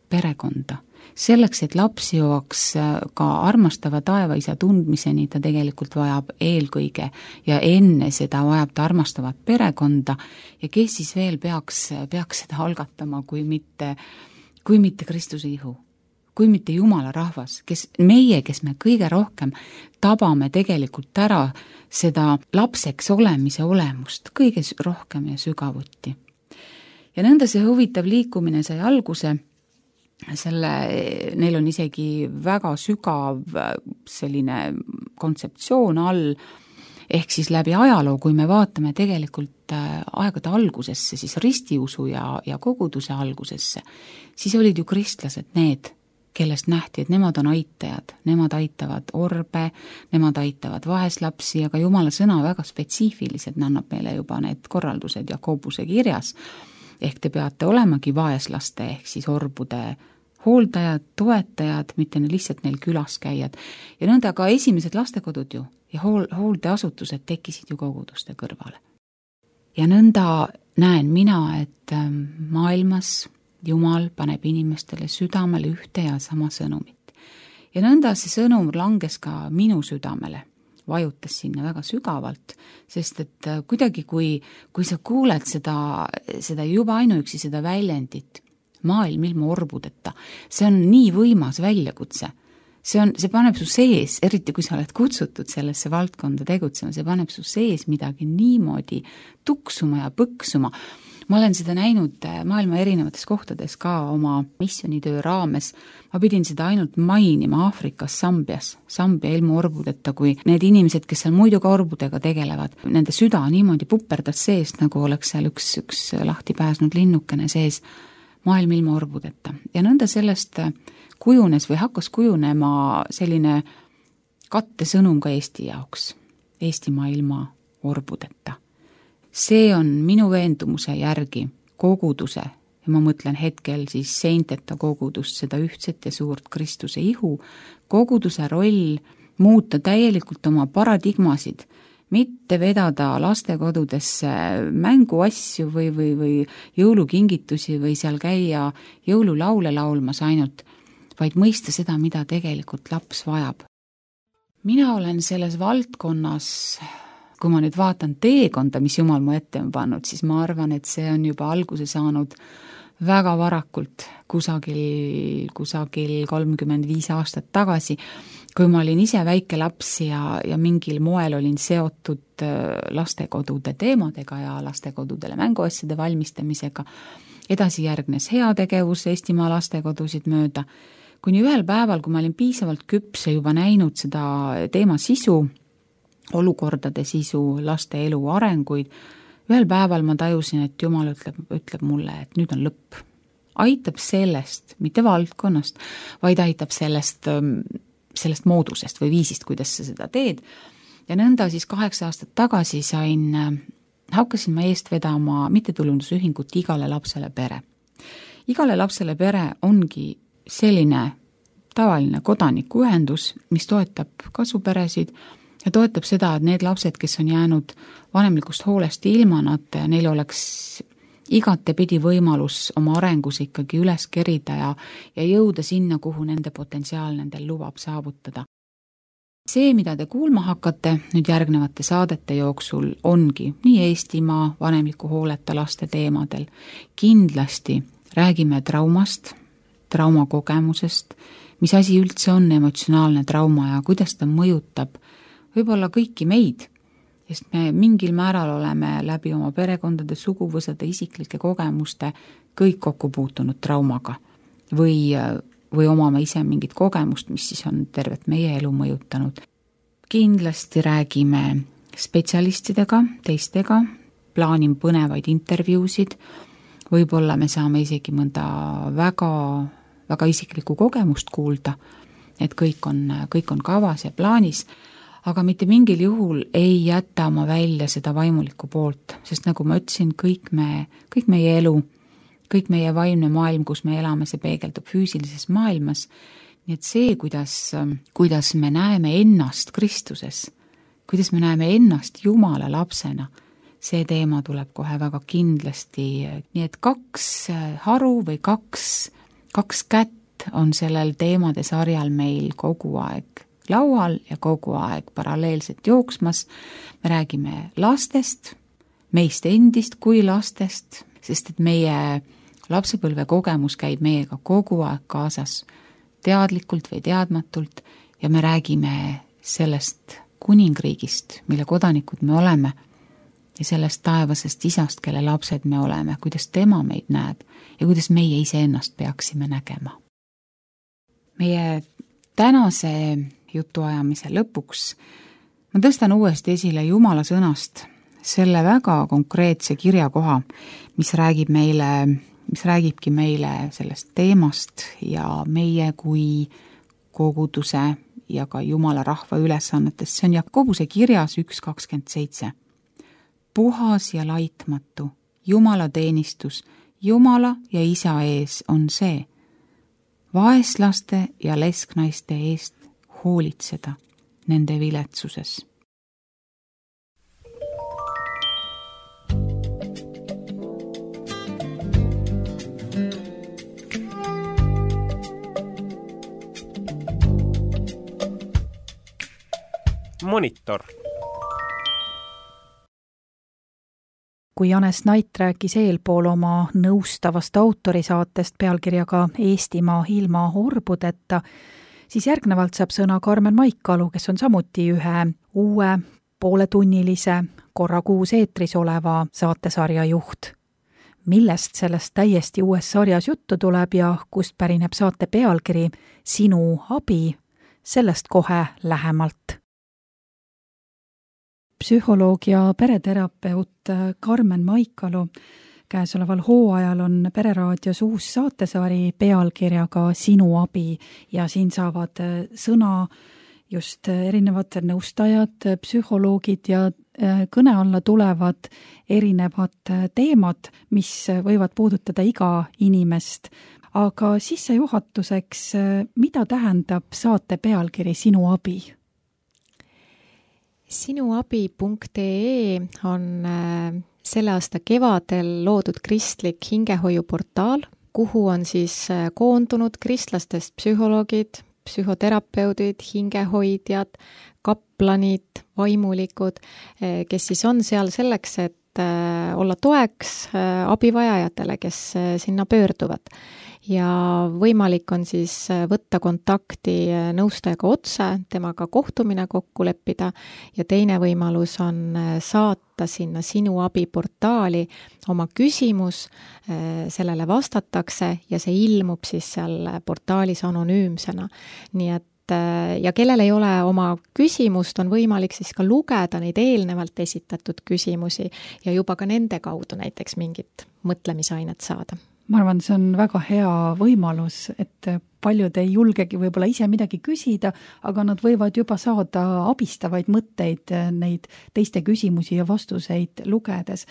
perekonda. Selleks, et laps jõuaks ka armastava taevaisa tundmiseni, ta tegelikult vajab eelkõige ja enne seda vajab ta armastavat perekonda ja kes siis veel peaks seda algatama, kui mitte Kristuse ihu, kui mitte Jumala rahvas, kes me kõige rohkem tabame tegelikult ära seda lapseks olemise olemust kõige rohkem ja sügavuti. Ja nõnda see huvitav liikumine sai alguse, neil on isegi väga sügav selline kontseptsioon all, ehk siis läbi ajaloo, kui me vaatame tegelikult aegade algusesse, siis ristiusu ja koguduse algusesse, siis olid ju kristlased need, kellest nähti, et nemad on aitajad, nemad aitavad orbe, nemad aitavad vaeslapsi, aga Jumala sõna väga spetsiifilised, annab meile juba need korraldused Jakobuse kirjas, ehk te peate olemagi vaeslaste ehk siis orbude hooldajad, toetajad, mitte lihtsalt neil külas käijad. Ja nõnda ka esimesed lastekodud ju ja hooldeasutused tekkisid ju koguduste kõrvale. Ja nõnda näen mina, et maailmas Jumal paneb inimestele südamele ühte ja sama sõnumit. Ja nõnda see sõnum langes ka minu südamele, vajutas sinna väga sügavalt, sest et kuidagi, kui sa kuuled seda juba ainuüksi seda väljendit, maailm ilma orbudeta, see on nii võimas väljakutse. See paneb su sees, eriti kui sa oled kutsutud sellesse valdkonda tegutsema, see paneb su sees midagi niimoodi tuksuma ja põksuma. Ma olen seda näinud maailma erinevates kohtades ka oma missionitöö raames. Ma pidin seda ainult mainima Aafrikas, Sambia ilma orbudeta, kui need inimesed, kes seal muidu ka orbudega tegelevad, nende süda niimoodi puperdas seest, nagu oleks seal üks lahti pääsnud linnukene sees, maailm ilma orbudeta. Ja nõnda sellest kujunes või hakkas kujunema selline kattesõnum ka Eesti jaoks, Eestimaa ilma orbudeta. See on minu veendumuse järgi koguduse, ja ma mõtlen hetkel siis seinteta kogudust, seda ühtset ja suurt Kristuse ihu, koguduse roll muuta täielikult oma paradigmasid, mitte vedada lastekodudesse mänguasju või jõulukingitusi või seal käia jõululaule laulmas ainult, vaid mõista seda, mida tegelikult laps vajab. Mina olen selles valdkonnas, kui ma nüüd vaatan teekonda, mis Jumal mu ette on pannud, siis ma arvan, et see on juba alguse saanud väga varakult, kusagil 35 aastat tagasi, kui ma olin ise väike laps ja mingil moel olin seotud lastekodude teemadega ja lastekodudele mänguasjade valmistamisega. Edasi järgnes heategevus Eestimaa lastekodusid mööda, kuni ühel päeval, kui ma olin piisavalt küps ja juba näinud seda teema sisu, olukordade sisu, laste elu arenguid, ühel päeval ma tajusin, et Jumal ütleb mulle, et nüüd on lõpp. Aitab sellest, mitte valdkonnast, vaid aitab sellest moodusest või viisist, kuidas sa seda teed. Ja nõnda siis 8 aastat tagasi hakkasin ma eest vedama mittetulundusühingut Igale lapsele pere. Igale lapsele pere ongi selline tavaline kodanikuühendus, mis toetab kasuperesid ja toetab seda, et need lapsed, kes on jäänud vanemlikust hoolest ilma, neil oleks igatepidi võimalus oma arengus ikkagi üles kerida ja jõuda sinna, kuhu nende potentsiaal nendel lubab saavutada. See, mida te kuulma hakkate nüüd järgnevate saadete jooksul, ongi nii Eestimaa vanemliku hooleta laste teemadel. Kindlasti räägime traumast, traumakogemusest, mis asi üldse on emotsionaalne trauma ja kuidas ta mõjutab võib-olla kõiki meid, sest me mingil määral oleme läbi oma perekondade, suguvõsade, isiklike kogemuste kõik kokku puutunud traumaga või omame ise mingit kogemust, mis siis on tervet meie elu mõjutanud. Kindlasti räägime spetsialistidega, teistega, plaanin põnevaid intervjuusid, võib-olla me saame isegi mõnda väga, väga isiklikku kogemust kuulda, et kõik on kavas ja plaanis. aga mitte mingil juhul ei jäta oma välja seda vaimulikku poolt, sest nagu ma ütlesin, kõik meie elu, kõik meie vaimne maailm, kus me elame, see peegeldub füüsilises maailmas, nii et see, kuidas me näeme ennast Kristuses, kuidas me näeme ennast Jumala lapsena, see teema tuleb kohe väga kindlasti, nii et 2 haru või kaks kätt on sellel teemade sarjal meil kogu aeg laual ja kogu aeg paralleelselt jooksmas. Me räägime lastest, meist endist kui lastest, sest et meie lapsepõlve kogemus käib meiega kogu aeg kaasas, teadlikult või teadmatult, ja me räägime sellest kuningriigist, mille kodanikud me oleme, ja sellest taevasest isast, kelle lapsed me oleme, kuidas tema meid näeb ja kuidas meie iseennast peaksime nägema. Meie tänase jutuajamise lõpuks ma tõstan uuesti esile Jumala sõnast selle väga konkreetse kirjakoha, mis räägibki meile sellest teemast ja meie kui koguduse ja ka Jumala rahva ülesannetest. See on Jakobuse kirjas 1.27. Puhas ja laitmatu Jumala teenistus Jumala ja Isa ees on see, vaeslaste ja lesknaiste eest hoolitseda nende viletsuses. Monitor. Kui Janes Nait rääkis eelpool oma nõustavast autorisaatest pealkirjaga Eestimaa ilma orbudeta, siis järgnevalt saab sõna Karmen Maikalu, kes on samuti ühe uue pooletunnilise korra kuus eetris oleva saatesarja juht. Millest sellest täiesti uues sarjas juttu tuleb ja kust pärineb saate pealkiri Sinu abi, sellest kohe lähemalt. Psühholoog ja pereterapeut Karmen Maikalu käesoleval hooajal on Pereraadios uus saatesari pealkirjaga Sinu abi ja siin saavad sõna just erinevad nõustajad, psühholoogid ja kõne alla tulevad erinevad teemad, mis võivad puudutada iga inimest. Aga sissejuhatuseks, mida tähendab saate pealkiri Sinu abi? Sinuabi.ee on selle aasta kevadel loodud kristlik hingehoiuportaal, kuhu on siis koondunud kristlastest psühholoogid, psühhoterapeudid, hingehoidjad, kaplanid, vaimulikud, kes siis on seal selleks, et olla toeks abivajajatele, kes sinna pöörduvad. Ja võimalik on siis võtta kontakti nõustajaga otse, temaga kohtumine kokku leppida ja teine võimalus on saata sinna Sinu abi portaali oma küsimus, sellele vastatakse ja see ilmub siis seal portaalis anonüümsena. Nii et ja kellel ei ole oma küsimust, on võimalik siis ka lugeda neid eelnevalt esitatud küsimusi ja juba ka nende kaudu näiteks mingit mõtlemisainet saada. Ma arvan, see on väga hea võimalus, et paljud ei julgegi võib-olla ise midagi küsida, aga nad võivad juba saada abistavaid mõtteid neid teiste küsimusi ja vastuseid lugedes.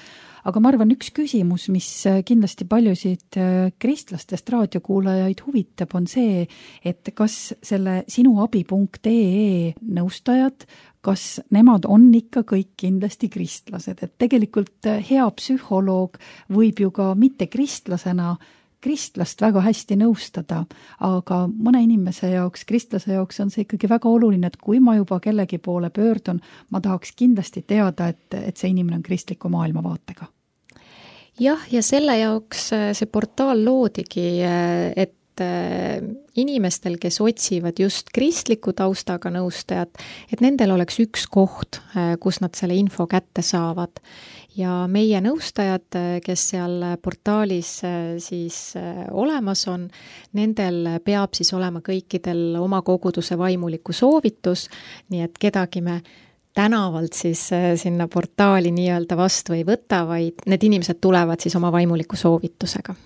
Aga ma arvan, üks küsimus, mis kindlasti paljusid kristlastest raadiokuulajaid huvitab, on see, et kas selle sinuabi.ee nõustajad, kas nemad on ikka kõik kindlasti kristlased, et tegelikult hea psühholoog võib ju ka mitte kristlasena kristlast väga hästi nõustada, aga mõne inimese jaoks, kristlase jaoks on see ikkagi väga oluline, et kui ma juba kellegi poole pöördun, ma tahaks kindlasti teada, et see inimene on kristliku maailmavaatega. Jah, ja selle jaoks see portaal loodigi, et inimestel, kes otsivad just kristliku taustaga nõustajat, et nendel oleks üks koht, kus nad selle info kätte saavad. Ja meie nõustajad, kes seal portaalis siis olemas on, nendel peab siis olema kõikidel oma koguduse vaimuliku soovitus, nii et kedagi me tänavalt siis sinna portaali nii-öelda vastu ei võta, vaid need inimesed tulevad siis oma vaimuliku soovitusega.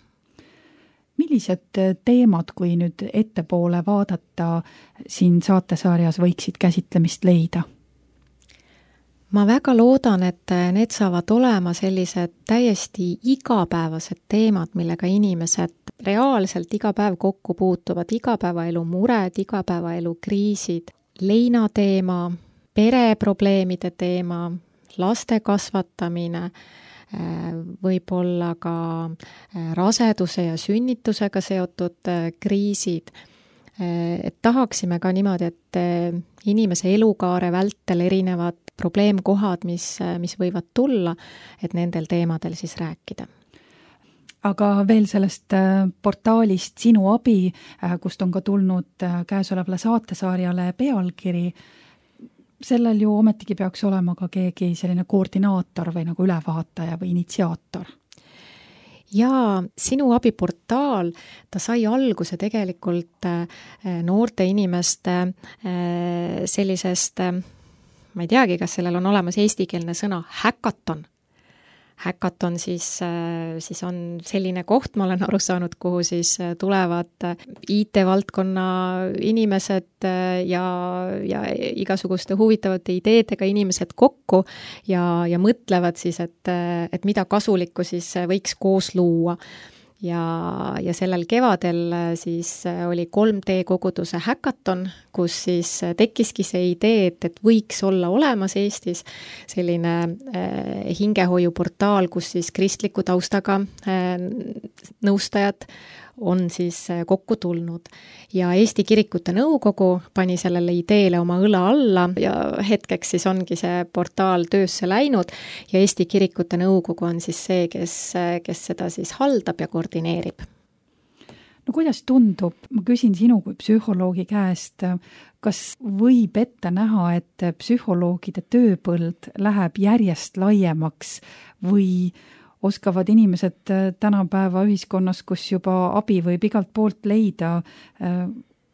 Millised teemad, kui nüüd ettepoole vaadata, siin saatesarjas võiksid käsitlemist leida? ma väga loodan, et need saavad olema sellised täiesti igapäevased teemad, millega inimesed reaalselt iga päev kokku puutuvad, igapäevaelu mured, igapäevaelu kriisid, leinateema, pereprobleemide teema, laste kasvatamine, võib-olla ka raseduse ja sünnitusega seotud kriisid. Et tahaksime ka niimoodi, et inimese elukaare vältel erinevad probleemkohad, mis võivad tulla, et nendel teemadel siis rääkida. Aga veel sellest portaalist Sinu abi, kust on ka tulnud käesolevale saatesarjale pealkiri, sellel ju ometigi peaks olema ka keegi selline koordinaator või nagu ülevaataja või initsiaator. Ja Sinu abi portaal, ta sai alguse tegelikult noorte inimeste sellisest, ma ei teagi, kas sellel on olemas eestikeelne sõna, häkaton. Häkaton siis on selline koht, ma olen aru saanud, kuhu siis tulevad IT-valdkonna inimesed ja igasuguste huvitavate ideedega inimesed kokku ja mõtlevad siis, et mida kasulikku siis võiks koos luua. Ja sellel kevadel siis oli 3D koguduse häkaton, kus siis tekkiski see idee, et võiks olla olemas Eestis selline hingehoiuportaal, kus siis kristliku taustaga nõustajad on siis kokku tulnud. Ja Eesti Kirikute Nõukogu pani sellele ideele oma õla alla ja hetkeks siis ongi see portaal töösse läinud ja Eesti Kirikute Nõukogu on siis see, kes seda siis haldab ja koordineerib. No kuidas tundub, ma küsin sinu kui psühholoogi käest, kas võib ette näha, et psühholoogide tööpõld läheb järjest laiemaks või oskavad inimesed tänapäeva ühiskonnas, kus juba abi võib igalt poolt leida,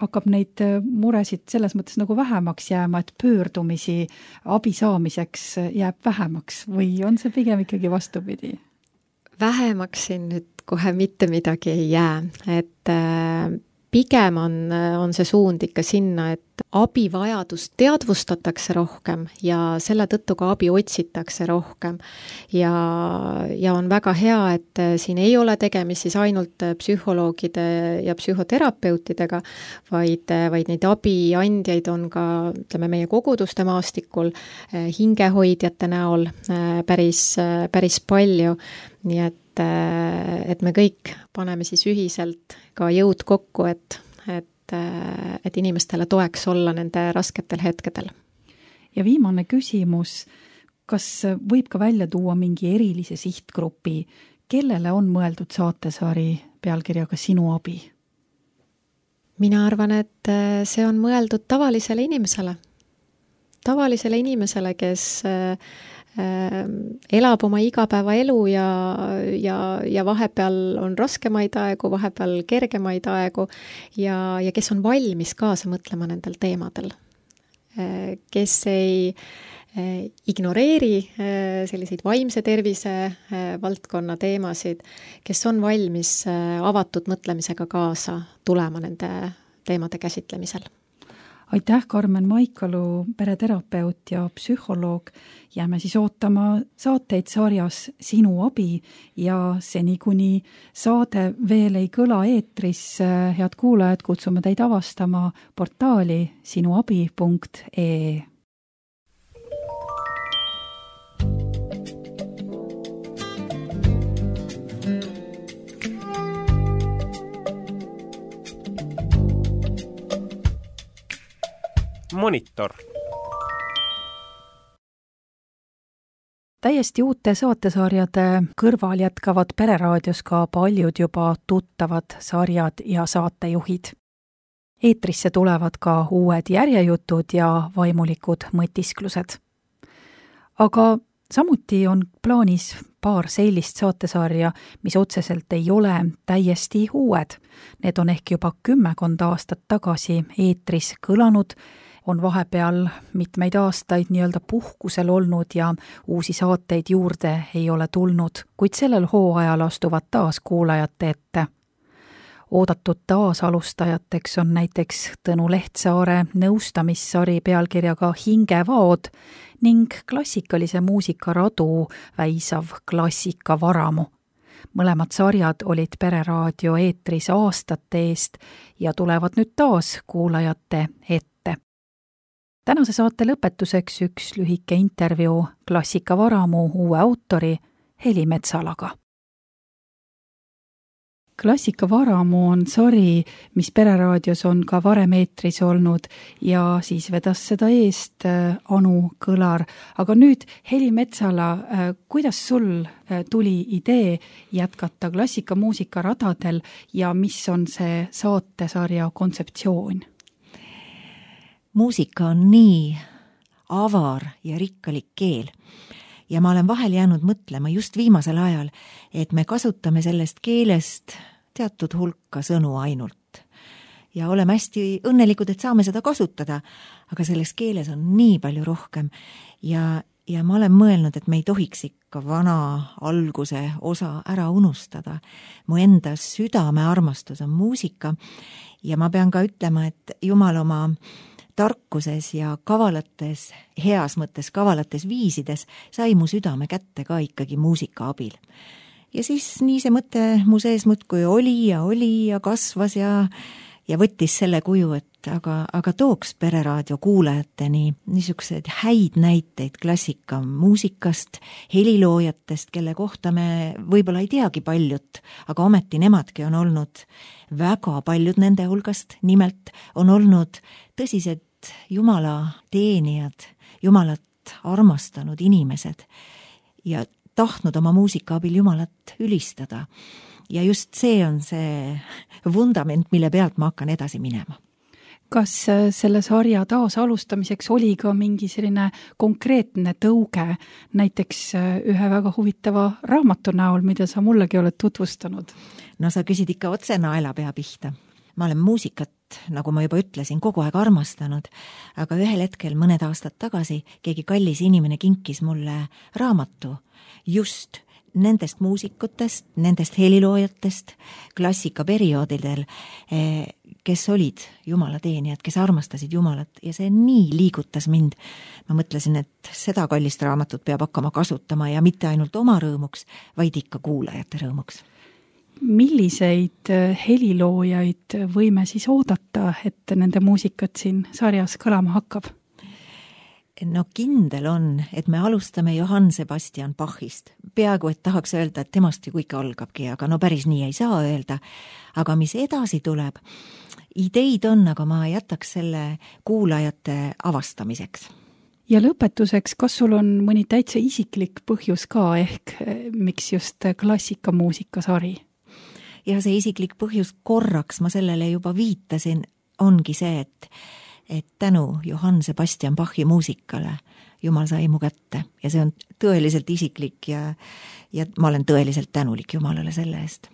hakkab neid muresid selles mõttes nagu vähemaks jääma, et pöördumisi abi saamiseks jääb vähemaks või on see pigem ikkagi vastupidi? Vähemaks siin nüüd kohe mitte midagi ei jää, et pigem on see suund ikka sinna, et abivajadust teadvustatakse rohkem ja selle tõttu ka abi otsitakse rohkem. Ja on väga hea, et siin ei ole tegemist siis ainult psühholoogide ja psühhoterapeutidega, vaid neid abiandjaid on ka, ütleme, meie koguduste maastikul hingehoidjate näol päris palju, nii et me kõik paneme siis ühiselt ka jõud kokku, et inimestele toeks olla nende rasketel hetkedel. Ja viimane küsimus, kas võib ka välja tuua mingi erilise sihtgrupi, kellele on mõeldud saatesari pealkirjaga Sinu abi? Mina arvan, et see on mõeldud tavalisele inimesele, kes elab oma igapäevaelu ja vahepeal on raskemaid aegu, vahepeal kergemaid aegu ja kes on valmis kaasa mõtlema nendel teemadel. Kes ei ignoreeri selliseid vaimse tervise valdkonna teemasid, kes on valmis avatud mõtlemisega kaasa tulema nende teemade käsitlemisel. Aitäh, Karmen Maikalu, pereterapeut ja psühholoog. Jääme siis ootama saateid sarjas Sinu abi ja seni kuni saade veel ei kõla eetris, head kuulajad, kutsume teid avastama portaali sinuabi.ee. Monitor. Täiesti uute saatesarjade kõrval jätkavad Pereraadios ka paljud juba tuttavad sarjad ja saatejuhid. Eetrisse tulevad ka uued järjejutud ja vaimulikud mõtisklused. Aga samuti on plaanis paar sellist saatesarja, mis otseselt ei ole täiesti uued. Need on ehk juba 10 aastat tagasi eetris kõlanud, on vahepeal mitmeid aastaid nii-öelda puhkusel olnud ja uusi saateid juurde ei ole tulnud, kuid sellel hooajal astuvad taas kuulajate ette. oodatud taasalustajateks on näiteks Tõnu Lehtsaare nõustamissari pealkirjaga Hingevaod ning klassikalise muusika radu väisav Klassikavaramu. Mõlemad sarjad olid Pereraadio eetris aastate eest ja tulevad nüüd taas kuulajate ette. Tänase saate lõpetuseks üks lühike intervjuu Klassikavaramu uue autori Heli Metsalaga. Klassikavaramu on sari, mis Pereraadios on ka varem eetris olnud ja siis vedas seda eest Anu Kõlar. Aga nüüd, Heli Metsala, kuidas sul tuli idee jätkata klassikamuusika radadel ja mis on see saatesarja kontseptsioon? Muusika on nii avar ja rikkalik keel. Ja ma olen vahel jäänud mõtlema just viimasel ajal, et me kasutame sellest keelest teatud hulka sõnu ainult. Ja oleme hästi õnnelikud, et saame seda kasutada, aga selles keeles on nii palju rohkem. Ja ma olen mõelnud, et me ei tohiks ikka vana alguse osa ära unustada. Mu enda südame armastus on muusika ja ma pean ka ütlema, et Jumal oma tarkuses ja kavalates, heas mõttes kavalates viisides sai mu südame kätte ka ikkagi muusika abil. Ja siis nii see mõte mu sees muudkui oli ja kasvas ja võttis selle kuju, et aga tooks Pereraadio kuulajateni niisugused häid näiteid klassikamuusikast, heliloojatest, kelle kohta me võib-olla ei teagi paljut, aga ometi nemadki on olnud väga paljud nende hulgast, nimelt on olnud tõsised Jumala teenijad, Jumalat armastanud inimesed ja tahtnud oma muusika abil Jumalat ülistada. Ja just see on see vundament, mille pealt ma hakkan edasi minema. Kas selle sarja taasalustamiseks oli ka mingi selline konkreetne tõuge, näiteks ühe väga huvitava raamatu näol, mida sa mullegi oled tutvustanud? No sa küsid ikka otse naelapea pihta. Ma olen muusikat, nagu ma juba ütlesin, kogu aeg armastanud, aga ühel hetkel mõned aastad tagasi keegi kallis inimene kinkis mulle raamatu just nendest muusikutest, nendest heliloojatest klassikaperioodidel, kes olid Jumala teenijad, kes armastasid Jumalat ja see nii liigutas mind. Ma mõtlesin, et seda kallist raamatut peab hakkama kasutama ja mitte ainult oma rõõmuks, vaid ikka kuulajate rõõmuks. Milliseid heliloojaid võime siis oodata, et nende muusikat siin sarjas kõlama hakkab? No kindel on, et me alustame Johann Sebastian Bachist. Peaaegu, et tahaks öelda, et temast ju kõik algabki, aga no päris nii ei saa öelda. Aga mis edasi tuleb? Ideid on, aga ma jätaks selle kuulajate avastamiseks. Ja lõpetuseks, kas sul on mõni täitsa isiklik põhjus ka ehk miks just klassikamuusika sari? Ja see isiklik põhjus korraks, ma sellele juba viitasin, ongi see, et tänu Johann Sebastian Bachi muusikale Jumal sai mu kätte ja see on tõeliselt isiklik ja ma olen tõeliselt tänulik Jumalale selle eest.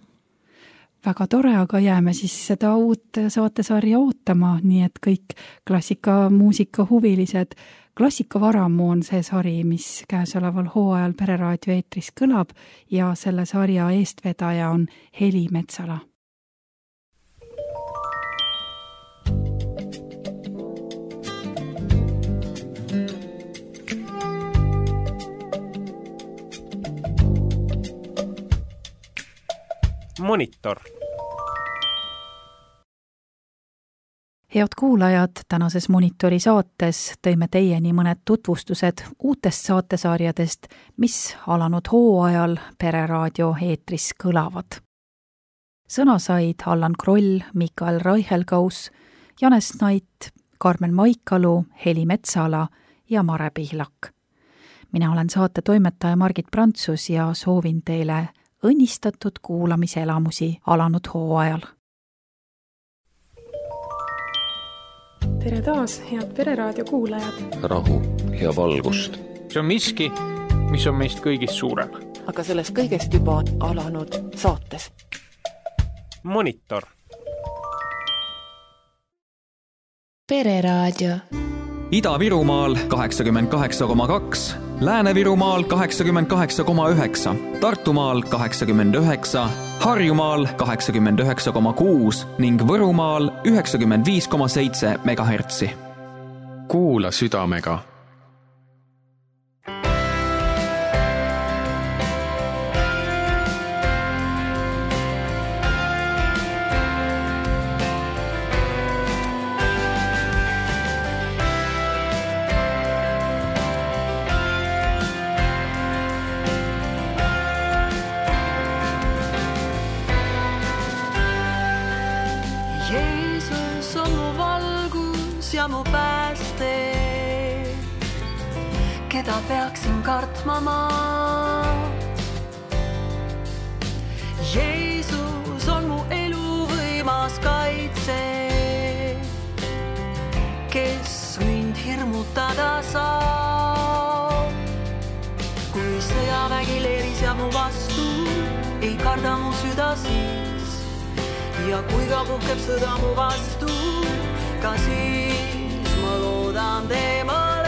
Väga tore, aga jääme siis seda uut saatesarja ootama, nii et kõik klassikamuusika huvilised. Klassikavaramu on see sari, mis käesoleval hooajal Pereraadio eetris kõlab ja selle sarja eestvedaja on Heli Metsala. Monitor. Head kuulajad, tänases Monitori saates tõime teieni mõned tutvustused uutest saatesarjadest, mis alanud hooajal Pereraadio eetris kõlavad. Sõna said Allan Kroll, Mikael Raichelgaus, Janes Nait, Karmen Maikalu, Heli Metsala ja Mare Pihlak. Mina olen saate toimetaja Margit Prantsus ja soovin teile õnnistatud kuulamiselamusi alanud hooajal. Tere taas, head Pereraadio kuulajad! Rahu ja valgust. See on miski, mis on meist kõigist suurem. Aga sellest kõigest juba alanud saates. Monitor. Pereraadio. Ida-Virumaal 88,2 Lääne-Virumaal 88,9, Tartumaal 89, Harjumaal 89,6 ning Võrumaal 95,7 megahertsi. Kuula südamega. Keda peaksin kartma ma? Jeesus on mu elu võimas kaitse, kes mind hirmutada saab. Kui sõjavägi leeris ja mu vastu, ei karda mu süda siis. Ja kui ka puhkeb sõda mu vastu, ka siis ma loodan teemale.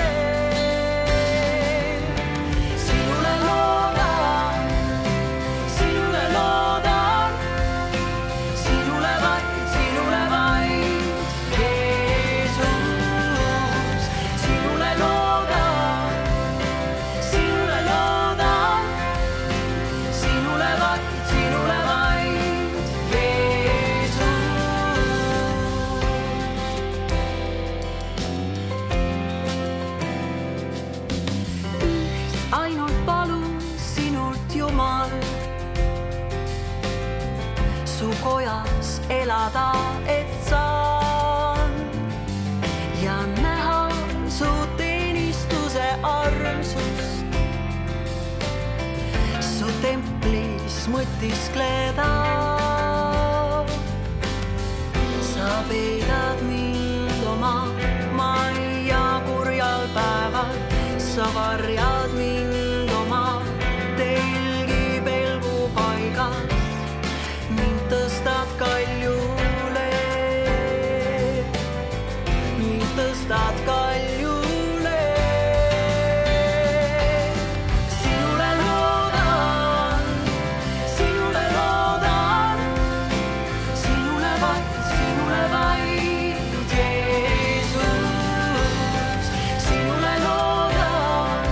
Kojas elada, et saan ja näha su teenistuse armsust, su templis mõtiskleda. Sa peidad mind oma majja kurjal päeval, sa varjad mind oma telgi pelgu paigas. Tõstad kaljule, mind tõstad kaljule. Sinule loodan, sinule loodan, sinule vaid, Jeesus. Sinule loodan,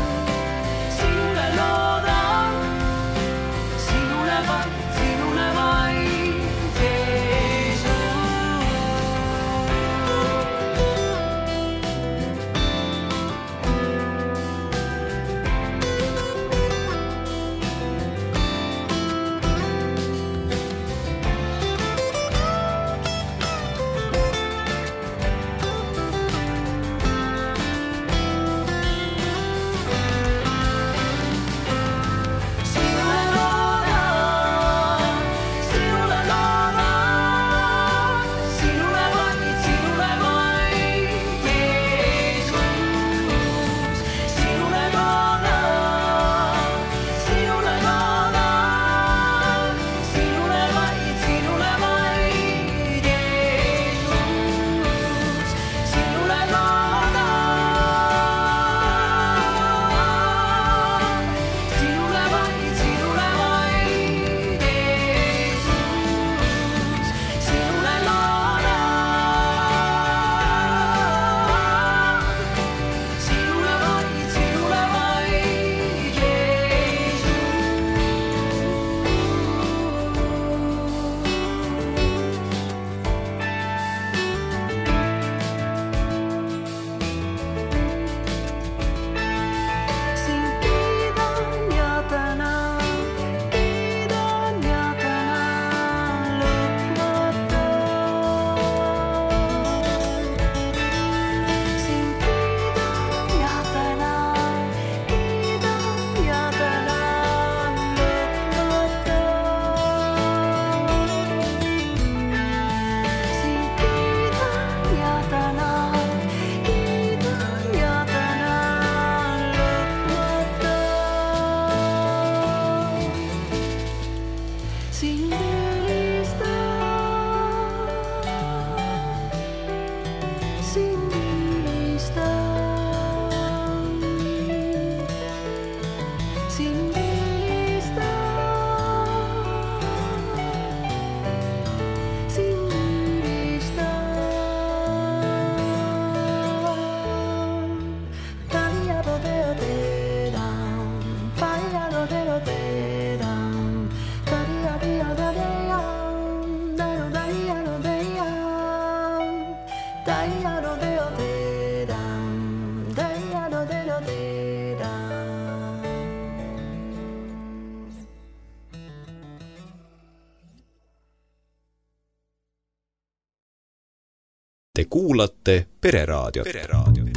Te kuulate Pereraadiot.